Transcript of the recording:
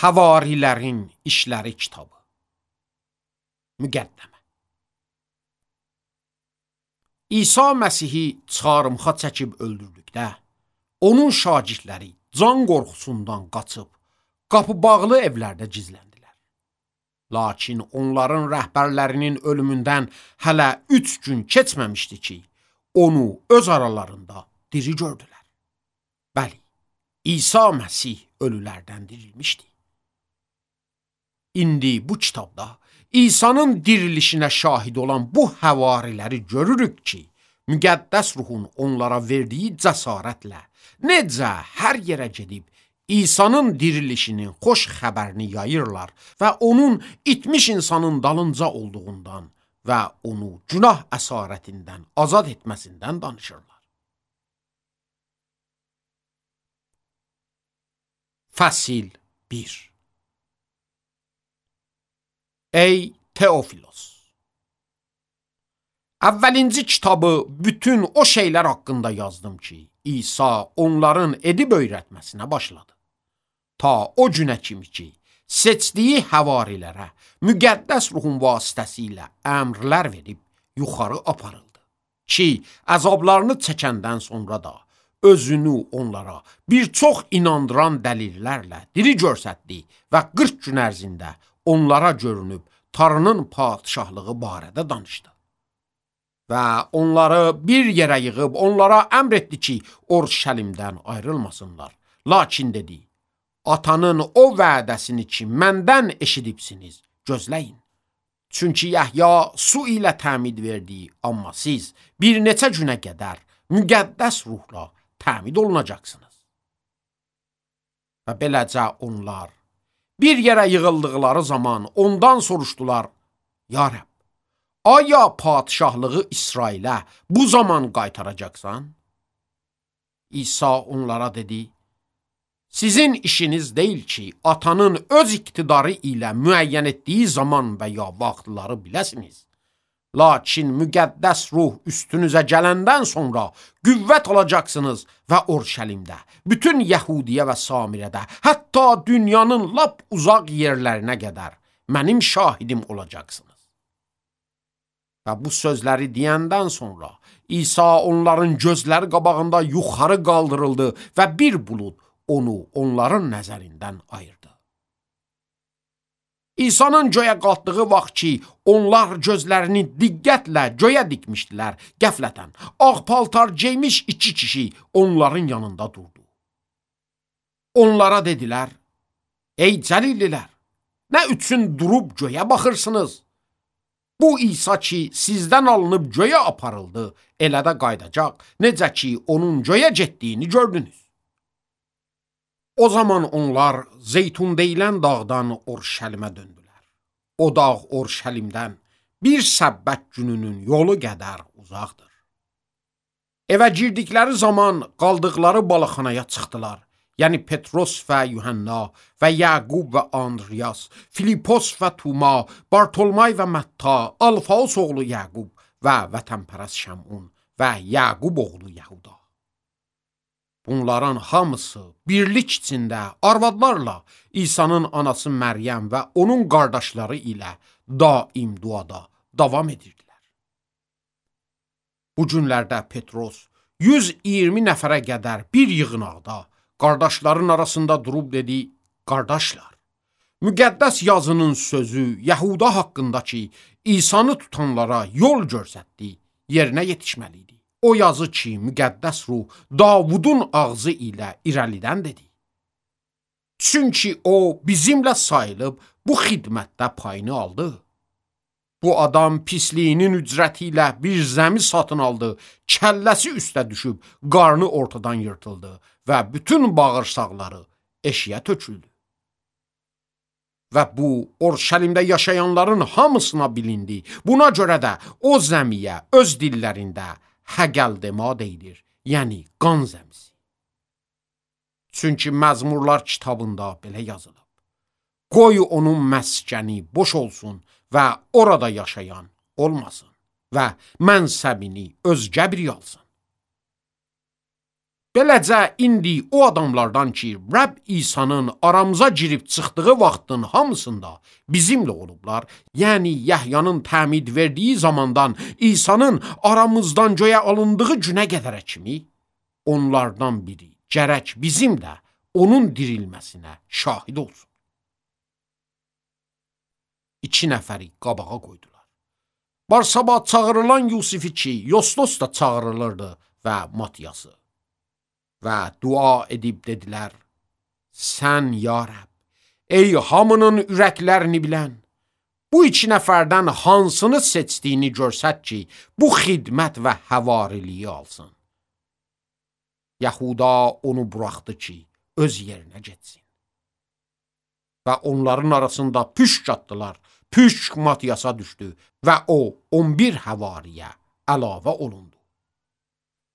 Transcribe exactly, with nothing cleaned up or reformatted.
Havarilərin İşləri kitabı. Müqəddəmə. İsa Məsihi çarmıxa çəkib öldürdükdə, onun şagirdləri can qorxusundan qaçıb, qapı bağlı evlərdə gizləndilər. Lakin onların rəhbərlərinin ölümündən hələ üç gün keçməmişdi ki, onu öz aralarında diri gördülər. Bəli, İsa Məsih ölülərdən dirilmişdi. İndi bu kitabda İsa'nın dirilişinə şahid olan bu həvariləri görürük ki, müqəddəs ruhun onlara verdiyi cəsarətlə necə hər yerə gedib İsa'nın dirilişinin xoş xəbərini yayırlar və onun itmiş insanın dalınca olduğundan və onu günah əsarətindən azad etməsindən danışırlar. Fəsil bir. Ey Teofilos! Əvvəlinci kitabı bütün o şeylər haqqında yazdım ki, İsa onların edib öyrətməsinə başladı. Ta o günə kimi ki, seçdiyi həvarilərə müqəddəs ruhun vasitəsilə əmrlər verib yuxarı aparıldı. Ki, əzablarını çəkəndən sonra da özünü onlara bir çox inandıran dəlillərlə diri göstərdi və qırx gün ərzində onlara görünüb Tanrının padişahlığı barədə danışdı. Və onları bir yerə yığıb onlara əmr etdi ki, Urşəlimdən ayrılmasınlar. Lakin dedi, atanın o vədəsini ki, məndən eşidibsiniz, gözləyin. Çünki Yəhya su ilə təmid verdi, amma siz bir neçə günə qədər müqəddəs ruhla təmid olunacaqsınız. Və beləcə onlar bir yerə yığıldıqları zaman ondan soruşdular, Ya Rəbb, aya padişahlığı İsrailə bu zaman qaytaracaqsan? İsa onlara dedi, sizin işiniz deyil ki, atanın öz iqtidarı ilə müəyyən etdiyi zaman və ya vaxtları biləsiniz. Lakin müqəddəs ruh üstünüzə gələndən sonra qüvvət alacaqsınız və Urşəlimdə, bütün Yəhudiyə və Samirədə, hətta dünyanın lap uzaq yerlərinə qədər mənim şahidim olacaqsınız. Və bu sözləri deyəndən sonra İsa onların gözləri qabağında yuxarı qaldırıldı və bir bulud onu onların nəzərindən ayırdı. İsa'nın göyə qalxdığı vaxt ki, onlar gözlərini diqqətlə göyə dikmişdilər, qəflətən ağ paltar geymiş iki kişi onların yanında durdu. Onlara dedilər, ey cəlillilər, nə üçün durub göyə baxırsınız? Bu İsa ki, sizdən alınıb göyə aparıldı, elə də qaydacaq, necə ki, onun göyə getdiyini gördünüz. O zaman onlar Zeytun deyilən dağdan Urşəlimə döndülər. O dağ Urşəlimdən bir səbbət gününün yolu qədər uzaqdır. Evə girdikləri zaman qaldıqları balıqxanaya çıxdılar. Yəni Petros və Yuhanna və Yaqub və Andriyas, Filipos və Tuma, Bartolmay və Mətta, Alfaos oğlu Yaqub və vətənpərəst Şəmun və Yaqub oğlu Yahuda. Bunların hamısı birlik içində arvadlarla İsa'nın anası Məryəm və onun qardaşları ilə daim duada davam edirdilər. Bu günlərdə Petros yüz iyirmi nəfərə qədər bir yığınaqda qardaşların arasında durub dedi, qardaşlar, müqəddəs yazının sözü Yahuda haqqında ki, İsa'nı tutanlara yol göstərdi, yerinə yetişməli idi. O yazı ki, müqəddəs ruh Davudun ağzı ilə irəlidən dedi. Çünki o bizimlə sayılıb bu xidmətdə payını aldı. Bu adam pisliyinin ücrəti ilə bir zəmi satın aldı, kəlləsi üstə düşüb, qarnı ortadan yırtıldı və bütün bağırsaqları eşiyə töküldü. Və bu, Urşəlimdə yaşayanların hamısına bilindi. Buna görə də o zəmiyə öz dillərində Həqəldema deyilir, yəni qan zəmisi. Çünki Məzmurlar kitabında belə yazılıb. Qoy onun məskəni boş olsun və orada yaşayan olmasın və mənsəbini özgə biri alsın. Beləcə indi o adamlardan ki, Rəbb İsa'nın aramıza girib çıxdığı vaxtın hamısında bizimlə olublar, yəni Yəhyanın təmid verdiyi zamandan İsa'nın aramızdan göyə alındığı günə qədərə kimi, onlardan biri gərək bizim də onun dirilməsinə şahid olsun. İki nəfəri qabağa qoydular. Barsaba çağırılan Yusifi ki, Yostos da çağırılırdı və Matiyası. Və dua edib dedilər, sən ya Rəbb, ey hamının ürəklərini bilən, bu iki nəfərdən hansını seçdiyini görsət ki, bu xidmət və həvariliyi alsın. Yahuda onu buraxdı ki, öz yerinə getsin. Və onların arasında püşk atdılar, püşk Matiyasa düşdü və o on bir həvariyə əlavə olundu.